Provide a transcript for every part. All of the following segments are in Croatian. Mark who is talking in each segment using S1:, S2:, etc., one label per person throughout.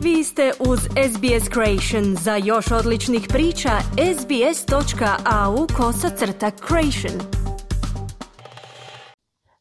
S1: Vi ste uz SBS Creation. Za još odličnih priča, sbs.au/creation.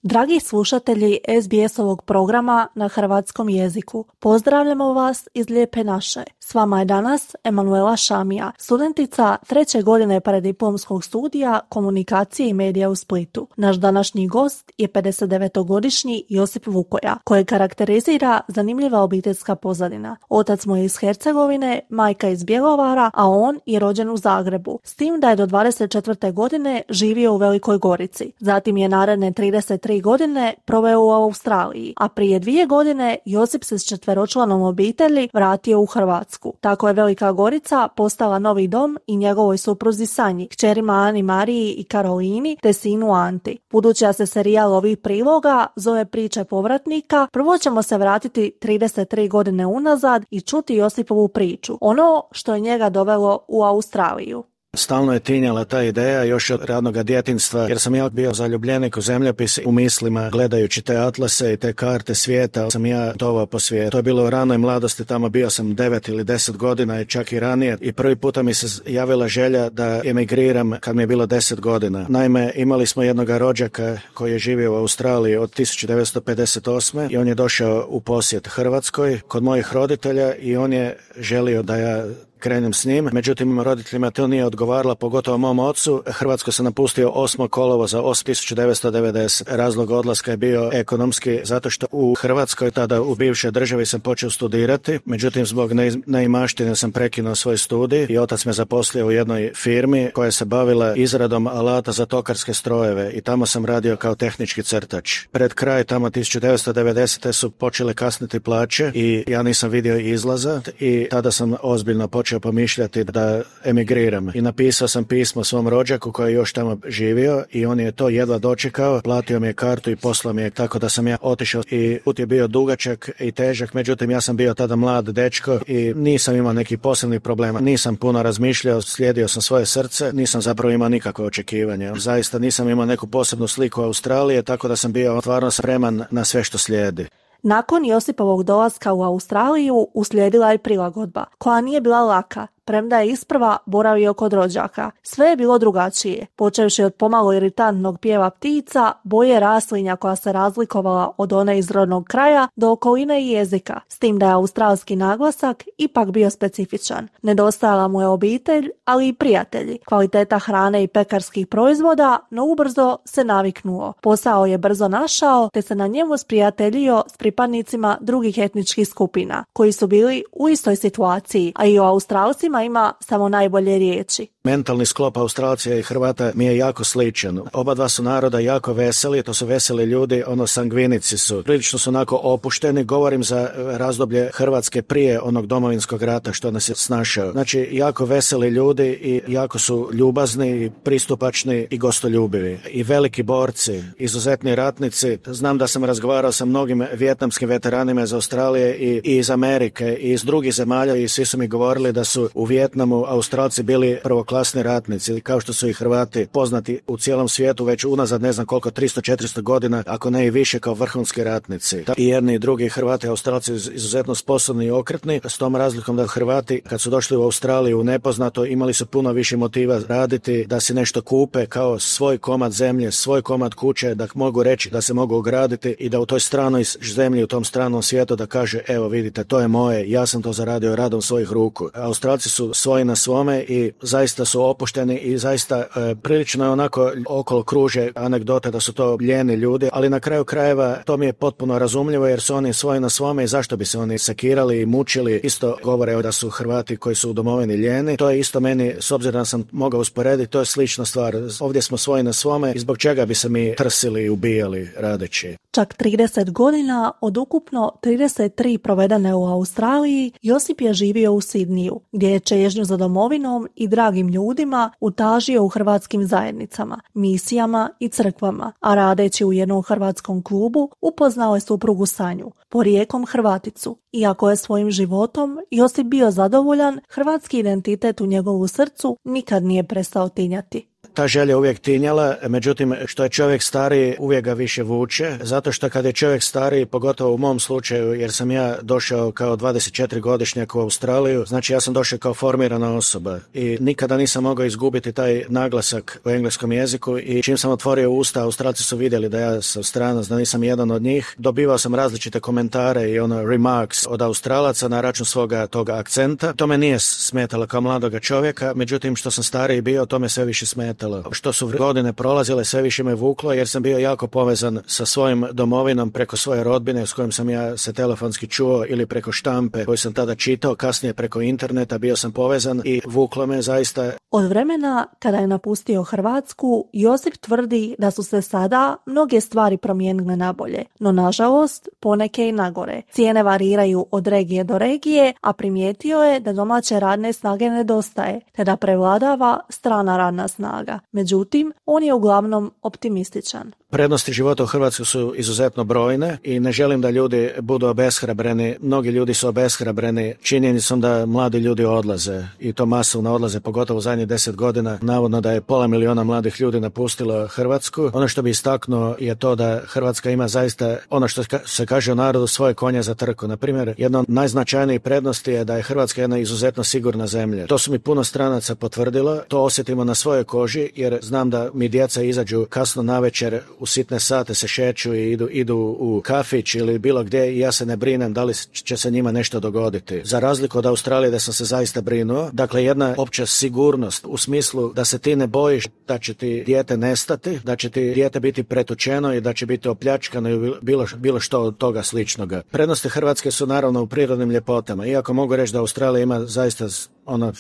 S2: Dragi slušatelji SBS-ovog programa na hrvatskom jeziku, pozdravljamo vas iz Lijepe naše. S vama je danas Emanuela Šamija, studentica 3. godine preddiplomskog studija komunikacije i medija u Splitu. Naš današnji gost je 59-godišnji Josip Vukoja, koje karakterizira zanimljiva obiteljska pozadina. Otac mu je iz Hercegovine, majka iz Bjelovara, a on je rođen u Zagrebu, s tim da je do 24. godine živio u Velikoj Gorici. Zatim je naredne 33 godine proveo u Australiji, a prije 2 godine Josip se s 4-članom obitelji vratio u Hrvatsku. Tako je Velika Gorica postala novi dom i njegovoj supruzi Sanji, kćerima Ani Mariji i Karolini te sinu Anti. Budući da se serijal ovih priloga zove Priče povratnika, prvo ćemo se vratiti 33 godine unazad i čuti Josipovu priču, ono što je njega dovelo u Australiju.
S3: Stalno je tinjala ta ideja još od radnog djetinjstva, jer sam ja bio zaljubljenik u zemljopis u mislima, gledajući te atlase i te karte svijeta, sam ja tovao po svijetu. To je bilo u ranoj mladosti, tamo bio sam 9 ili 10 godina i čak i ranije, i prvi puta mi se javila želja da emigriram kad mi je bilo 10 godina. Naime, imali smo jednog rođaka koji je živio u Australiji od 1958. i on je došao u posjet Hrvatskoj kod mojih roditelja i on je želio da ja krenem s njim, međutim roditeljima to nije odgovaralo, pogotovo mom ocu. Hrvatsku sam napustio 8. kolovoza 1990. Razlog odlaska je bio ekonomski, zato što u Hrvatskoj, tada u bivšoj državi, sam počeo studirati, međutim zbog neimaštine sam prekinuo svoj studij i otac me zaposlio u jednoj firmi koja se bavila izradom alata za tokarske strojeve i tamo sam radio kao tehnički crtač. Pred kraj tamo 1990. su počele kasniti plaće i ja nisam vidio izlaza i tada sam ozbiljno počeo pomišljati da emigriram. I napisao sam pismo svom rođaku koji je još tamo živio i on je to jedva dočekao, platio mi je kartu i poslao mi je, tako da sam ja otišao i put je bio dugačak i težak, međutim ja sam bio tada mlad dečko i nisam imao nekih posebnih problema, nisam puno razmišljao, slijedio sam svoje srce, nisam zapravo imao nikakve očekivanja. Zaista nisam imao neku posebnu sliku Australije, tako da sam bio stvarno spreman na sve što slijedi.
S2: Nakon Josipovog dolaska u Australiju uslijedila je prilagodba, koja nije bila laka, premda je isprva boravio kod rođaka. Sve je bilo drugačije, počevši od pomalo iritantnog pjeva ptica, boje raslinja koja se razlikovala od one iz rodnog kraja, do okoline i jezika, s tim da je australski naglasak ipak bio specifičan. Nedostajala mu je obitelj, ali i prijatelji, kvaliteta hrane i pekarskih proizvoda, no ubrzo se naviknuo. Posao je brzo našao, te se na njemu sprijateljio s pripadnicima drugih etničkih skupina, koji su bili u istoj situaciji, a i o Australcima ima samo najbolje riječi.
S3: Mentalni sklop Australaca i Hrvata mi je jako sličan. Oba dva su naroda jako veseli, to su veseli ljudi, sangvinici su. Prilično su onako opušteni, govorim za razdoblje Hrvatske prije onog Domovinskog rata što nas je snašao. Znači, jako veseli ljudi i jako su ljubazni i pristupačni i gostoljubivi. I veliki borci, izuzetni ratnici. Znam da sam razgovarao sa mnogim vijetnamskim veteranima iz Australije i iz Amerike i iz drugih zemalja i svi su mi govorili da su u Vijetnamu Australci bili prvoklasni ratnici, kao što su i Hrvati poznati u cijelom svijetu već unazad ne znam koliko, 300-400 godina, ako ne i više, kao vrhunski ratnici. I jedni i drugi Hrvati i Australci izuzetno sposobni i okretni, s tom razlikom da Hrvati kad su došli u Australiju u nepoznato imali su puno više motiva raditi, da si nešto kupe kao svoj komad zemlje, svoj komad kuće, da mogu reći da se mogu ograditi i da u toj stranoj zemlji, u tom stranom svijetu da kaže evo vidite, to je moje, ja sam to zaradio radom svojih ruku. Australci su svoji na svome i zaista su opušteni i zaista prilično je onako okolo kruže anegdote da su to lijeni ljudi, ali na kraju krajeva to mi je potpuno razumljivo jer su oni svoji na svome i zašto bi se oni sekirali i mučili. Isto govore da su Hrvati koji su u domovini lijeni. To je isto meni, s obzirom da sam mogao usporediti, to je slična stvar. Ovdje smo svoji na svome i zbog čega bi se mi trsili i ubijali radeći.
S2: Čak 30 godina od ukupno 33 provedene u Australiji, Josip je živio u Sidniju, gdje je čežnju za domovinom i dragim ljudima utažio u hrvatskim zajednicama, misijama i crkvama, a radeći u jednom hrvatskom klubu upoznao je suprugu Sanju, porijeklom Hrvaticu. Iako je svojim životom Josip bio zadovoljan, hrvatski identitet u njegovu srcu nikad nije prestao tinjati.
S3: Ta želja uvijek tinjala, međutim što je čovjek stariji uvijek ga više vuče, zato što kad je čovjek stariji, pogotovo u mom slučaju, jer sam ja došao kao 24-godišnjak u Australiju, znači ja sam došao kao formirana osoba i nikada nisam mogao izgubiti taj naglasak u engleskom jeziku i čim sam otvorio usta, Australci su vidjeli da ja sam stranac, da nisam jedan od njih. Dobivao sam različite komentare i remarks od Australaca na račun svoga toga akcenta. To me nije smetalo kao mladoga čovjeka, međutim što sam stariji bio, to me sve više smetalo. Što su godine prolazile, sve više me vuklo jer sam bio jako povezan sa svojim domovinom preko svoje rodbine s kojim sam ja se telefonski čuo ili preko štampe koju sam tada čitao, kasnije preko interneta bio sam povezan i vuklo me zaista.
S2: Od vremena kada je napustio Hrvatsku, Josip tvrdi da su se sada mnoge stvari promijenile na bolje, no nažalost poneke i nagore. Cijene variraju od regije do regije, a primijetio je da domaće radne snage nedostaje, te da prevladava strana radna snaga. Međutim, on je uglavnom optimističan.
S3: Prednosti života u Hrvatskoj su izuzetno brojne i ne želim da ljudi budu obeshrabreni. Mnogi ljudi su obeshrabreni činjenicom da mladi ljudi odlaze i to masovno odlaze, pogotovo u zadnjih 10 godina. Navodno da je 500.000 mladih ljudi napustilo Hrvatsku. Ono što bi istaknuo je to da Hrvatska ima zaista, ono što se kaže u narodu, svoje konje za trku. Na primjer, jedna od najznačajnijih prednosti je da je Hrvatska jedna izuzetno sigurna zemlja. To su mi puno stranaca potvrdilo, to osjetimo na svojoj koži jer znam da mi djeca izađu kasno navečer u sitne sate, se šeću i idu u kafić ili bilo gdje i ja se ne brinem da li će se njima nešto dogoditi. Za razliku od Australije da sam se zaista brinuo, dakle jedna opća sigurnost u smislu da se ti ne bojiš da će ti dijete nestati, da će ti dijete biti pretučeno i da će biti opljačkano i bilo što od toga sličnoga. Prednosti Hrvatske su naravno u prirodnim ljepotama. Iako mogu reći da Australija ima zaista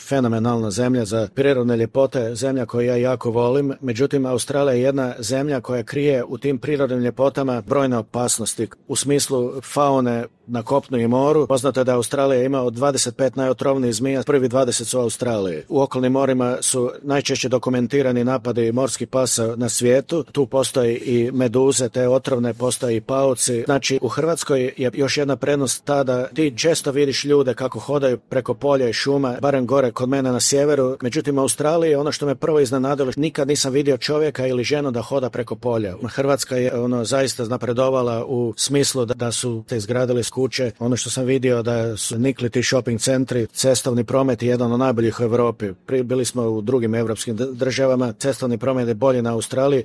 S3: fenomenalna zemlja za prirodne ljepote, zemlja koju ja jako volim, međutim Australija je jedna zemlja koja krije u tim prirodnim ljepotama brojne opasnosti u smislu faune na kopnu i moru. Poznato je da Australija ima od 25 najotrovnijih zmija, prvi 20 su u Australiji. U okolnim morima su najčešće dokumentirani napadi morskih pasa na svijetu. Tu postoji i meduze, te otrovne, postoji i pauci. Znači u Hrvatskoj je još jedna prednost ta da ti često vidiš ljude kako hodaju preko polja i šuma, barem gore kod mene na sjeveru. Međutim u Australiji ono što me prvo iznenadilo, nikad nisam vidio čovjeka ili ženu da hoda preko polja. Hrvatska je zaista napredovala u smislu da su te izgradili kuće. Ono što sam vidio da su nikli ti shopping centri, cestovni promet je jedan od najboljih u Europi. Bili smo u drugim europskim državama, cestovni promet je bolji na Australiji.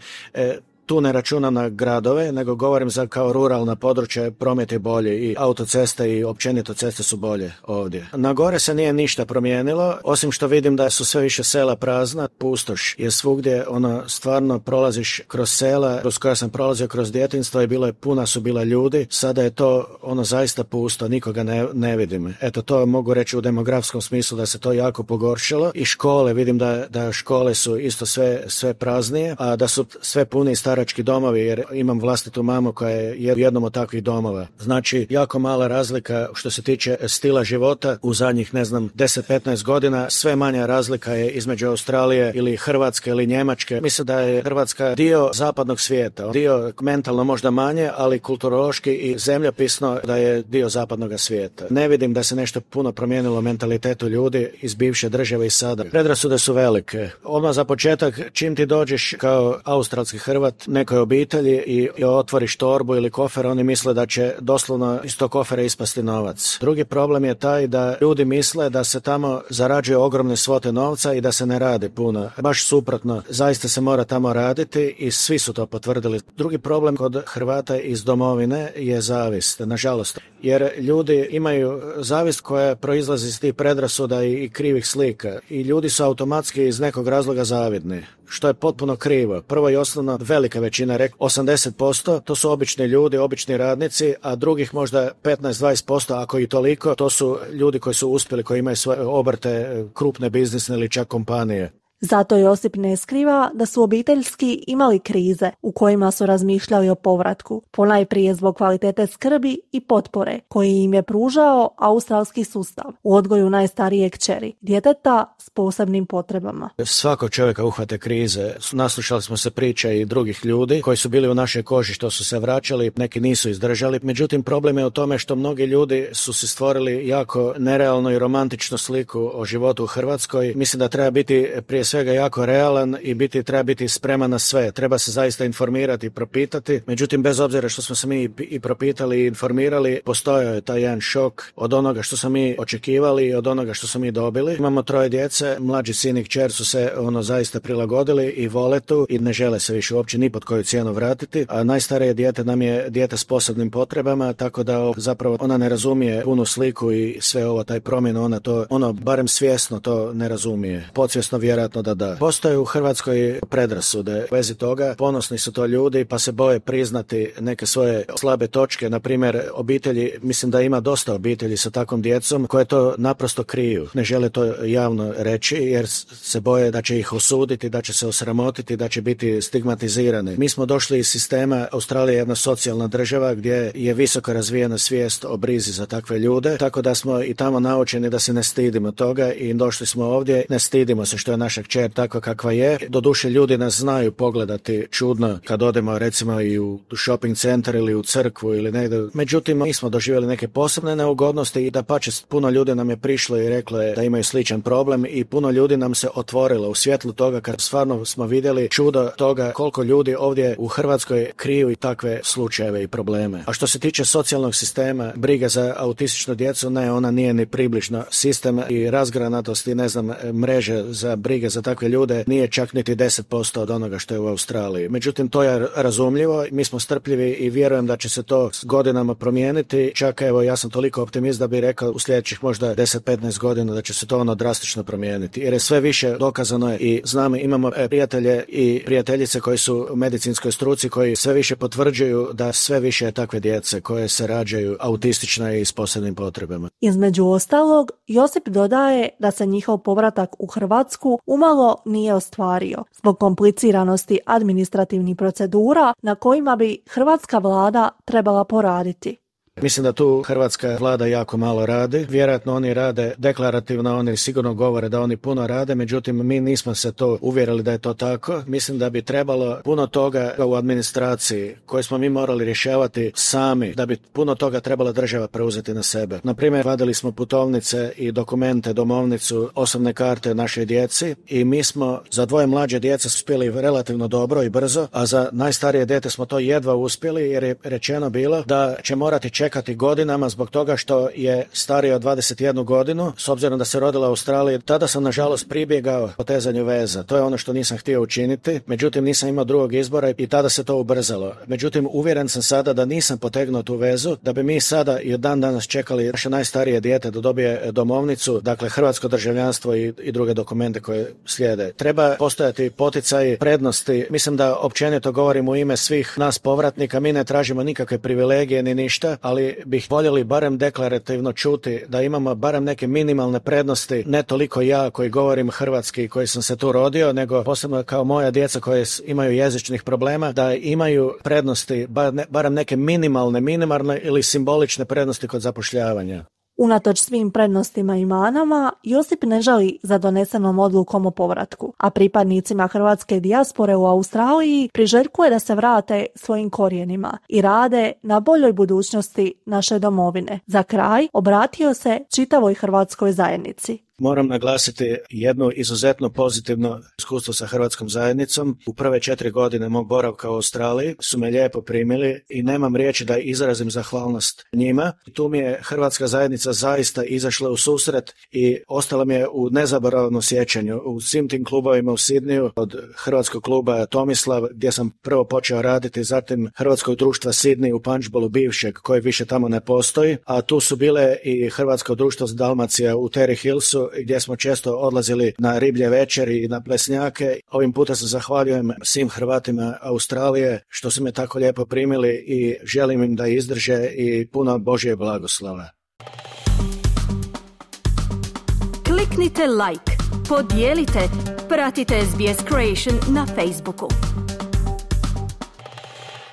S3: Tu ne računam na gradove, nego govorim za kao ruralna područja, promet je bolji i autoceste i općenito ceste su bolje ovdje. Na gore se nije ništa promijenilo, osim što vidim da su sve više sela prazna, pustoš je svugdje, stvarno prolaziš kroz sela, kroz koja sam prolazio kroz djetinjstvo i puna su bila ljudi, sada je to zaista pusto, nikoga ne vidim. Eto, to mogu reći u demografskom smislu da se to jako pogoršalo i škole, vidim da škole su isto sve praznije, a da su sve puni starački domovi, jer imam vlastitu mamu koja je u jednom od takvih domova. Znači, jako mala razlika što se tiče stila života u zadnjih, 10-15 godina, sve manja razlika je između Australije ili Hrvatske ili Njemačke. Mislim da je Hrvatska dio zapadnog svijeta, dio mentalno možda manje, ali kulturološki i zemljopisno da je dio zapadnog svijeta. Ne vidim da se nešto puno promijenilo mentalitetu ljudi iz bivše države i sada. Predrasude su velike. Odmah za početak, čim ti dođeš kao australski Hrvat nekoj obitelji i otvoriš torbu ili kofer, oni misle da će doslovno iz tog kofera ispasti novac. Drugi problem je taj da ljudi misle da se tamo zarađuje ogromne svote novca i da se ne radi puno. Baš suprotno, zaista se mora tamo raditi i svi su to potvrdili. Drugi problem kod Hrvata iz domovine je zavist, nažalost. Jer ljudi imaju zavist koja proizlazi iz tih predrasuda i krivih slika. I ljudi su automatski iz nekog razloga zavidni, što je potpuno krivo. Prvo i osnovno, velika većina, 80%, to su obični ljudi, obični radnici, a drugih možda 15-20%, ako i toliko, to su ljudi koji su uspjeli, koji imaju svoje obrte, krupne biznisne ili čak kompanije.
S2: Zato Josip ne skriva da su obiteljski imali krize u kojima su razmišljali o povratku, ponajprije zbog kvalitete skrbi i potpore koji im je pružao australski sustav u odgoju najstarije kćeri, djeteta s posebnim potrebama.
S3: Svako čovjeka uhvate krize. Naslušali smo se priča i drugih ljudi koji su bili u našoj koži, što su se vraćali, neki nisu izdržali. Međutim, problem je u tome što mnogi ljudi su se stvorili jako nerealnu i romantičnu sliku o životu u Hrvatskoj. Mislim da treba biti prije svega jako realan i treba biti spreman na sve. Treba se zaista informirati i propitati. Međutim, bez obzira što smo se mi i propitali i informirali, postojao je taj jedan šok od onoga što smo mi očekivali i od onoga što smo mi dobili. Imamo 3 djece, mlađi sin i kćer su se zaista prilagodili i vole tu i ne žele se više uopće ni pod koju cijenu vratiti, a najstarije dijete nam je dijete s posebnim potrebama, tako da zapravo ona ne razumije punu sliku i sve ovo, taj promjenu, ona barem svjesno to ne razumije. Podsvjesno vjerojatno da. Postoje u Hrvatskoj predrasude u vezi toga, ponosni su to ljudi pa se boje priznati neke svoje slabe točke, na primjer obitelji, mislim da ima dosta obitelji sa takvom djecom koje to naprosto kriju. Ne žele to javno reći jer se boje da će ih osuditi, da će se osramotiti, da će biti stigmatizirani. Mi smo došli iz sistema, Australija je jedna socijalna država gdje je visoko razvijena svijest o brizi za takve ljude, tako da smo i tamo naučeni da se ne stidimo toga i došli smo ovdje, ne stidimo se što je naša kćer takva kakva je. Doduše ljudi nas znaju pogledati čudno kad odemo recimo i u shopping centar ili u crkvu ili negdje. Međutim, mi smo doživjeli neke posebne neugodnosti i dapače puno ljudi nam je prišlo i reklo je da imaju sličan problem i puno ljudi nam se otvorilo u svjetlu toga kad stvarno smo vidjeli čudo toga koliko ljudi ovdje u Hrvatskoj kriju i takve slučajeve i probleme. A što se tiče socijalnog sistema, briga za autističnu djecu, ne, ona nije ni približno. Sistem i razgranatost i mreže za brige za takve ljude nije čak niti 10% od onoga što je u Australiji. Međutim, to je razumljivo, mi smo strpljivi i vjerujem da će se to s godinama promijeniti. Čak evo, ja sam toliko optimist da bih rekao u sljedećih možda 10-15 godina da će se to drastično promijeniti. Jer je sve više dokazano je i znamo, imamo prijatelje i prijateljice koji su u medicinskoj struci koji sve više potvrđuju da sve više je takve djece koje se rađaju autistične i s posebnim potrebama.
S2: Između ostalog, Josip dodaje da se njihov povratak u Hrvatsku umalo nije ostvario zbog kompliciranosti administrativnih procedura na kojima bi hrvatska vlada trebala poraditi.
S3: Mislim da tu hrvatska vlada jako malo radi. Vjerojatno oni rade deklarativno, oni sigurno govore da oni puno rade, međutim mi nismo se to uvjerili da je to tako. Mislim da bi trebalo puno toga u administraciji koje smo mi morali rješavati sami, da bi puno toga trebala država preuzeti na sebe. Na primjer, vadili smo putovnice i dokumente, domovnicu, osobne karte našoj djeci i mi smo za 2 mlađe djece uspjeli relativno dobro i brzo, a za najstarije dijete smo to jedva uspjeli jer je rečeno bilo da će morati čekati godinama zbog toga što je stariji od 21 godinu, s obzirom da se rodila u Australiji. Tada sam nažalost pribjegao potezanju veza. To je ono što nisam htio učiniti, međutim nisam imao drugog izbora i tada se to ubrzalo. Međutim, uvjeren sam sada da nisam potegnuo tu vezu, da bi mi sada i od dan danas čekali naše najstarije dijete da dobije domovnicu, dakle hrvatsko državljanstvo i druge dokumente koje slijede. Treba postojati poticaji, prednosti. Mislim da općenito govorim u ime svih nas povratnika, mi ne tražimo nikakve privilegije ni ništa, ali bih voljeli barem deklarativno čuti da imamo barem neke minimalne prednosti, ne toliko ja koji govorim hrvatski, koji sam se tu rodio, nego posebno kao moja djeca koje imaju jezičnih problema, da imaju prednosti, barem neke minimalne ili simbolične prednosti kod zapošljavanja.
S2: Unatoč svim prednostima i manama, Josip ne žali za donesenom odlukom o povratku, a pripadnicima hrvatske dijaspore u Australiji priželjkuje da se vrate svojim korijenima i rade na boljoj budućnosti naše domovine. Za kraj obratio se čitavoj hrvatskoj zajednici.
S3: Moram naglasiti jedno izuzetno pozitivno iskustvo sa hrvatskom zajednicom. U prve 4 godine mog boravka u Australiji su me lijepo primili i nemam riječi da izrazim zahvalnost njima. Tu mi je hrvatska zajednica zaista izašla u susret i ostala mi je u nezaboravnom sjećanju. U svim tim klubovima u Sidniju, od hrvatskog kluba Tomislav, gdje sam prvo počeo raditi, zatim hrvatskog društva Sidney u punchballu bivšeg, koji više tamo ne postoji, a tu su bile i hrvatsko društvo Dalmacija u Terry Hillsu, gdje smo često odlazili na riblje večeri i na plesnjake. Ovim puta se zahvaljujem svim Hrvatima Australije što su me tako lijepo primili i želim im da izdrže i puno Božje blagoslova.
S1: Kliknite like, podijelite, pratite SBS Creation na Facebooku.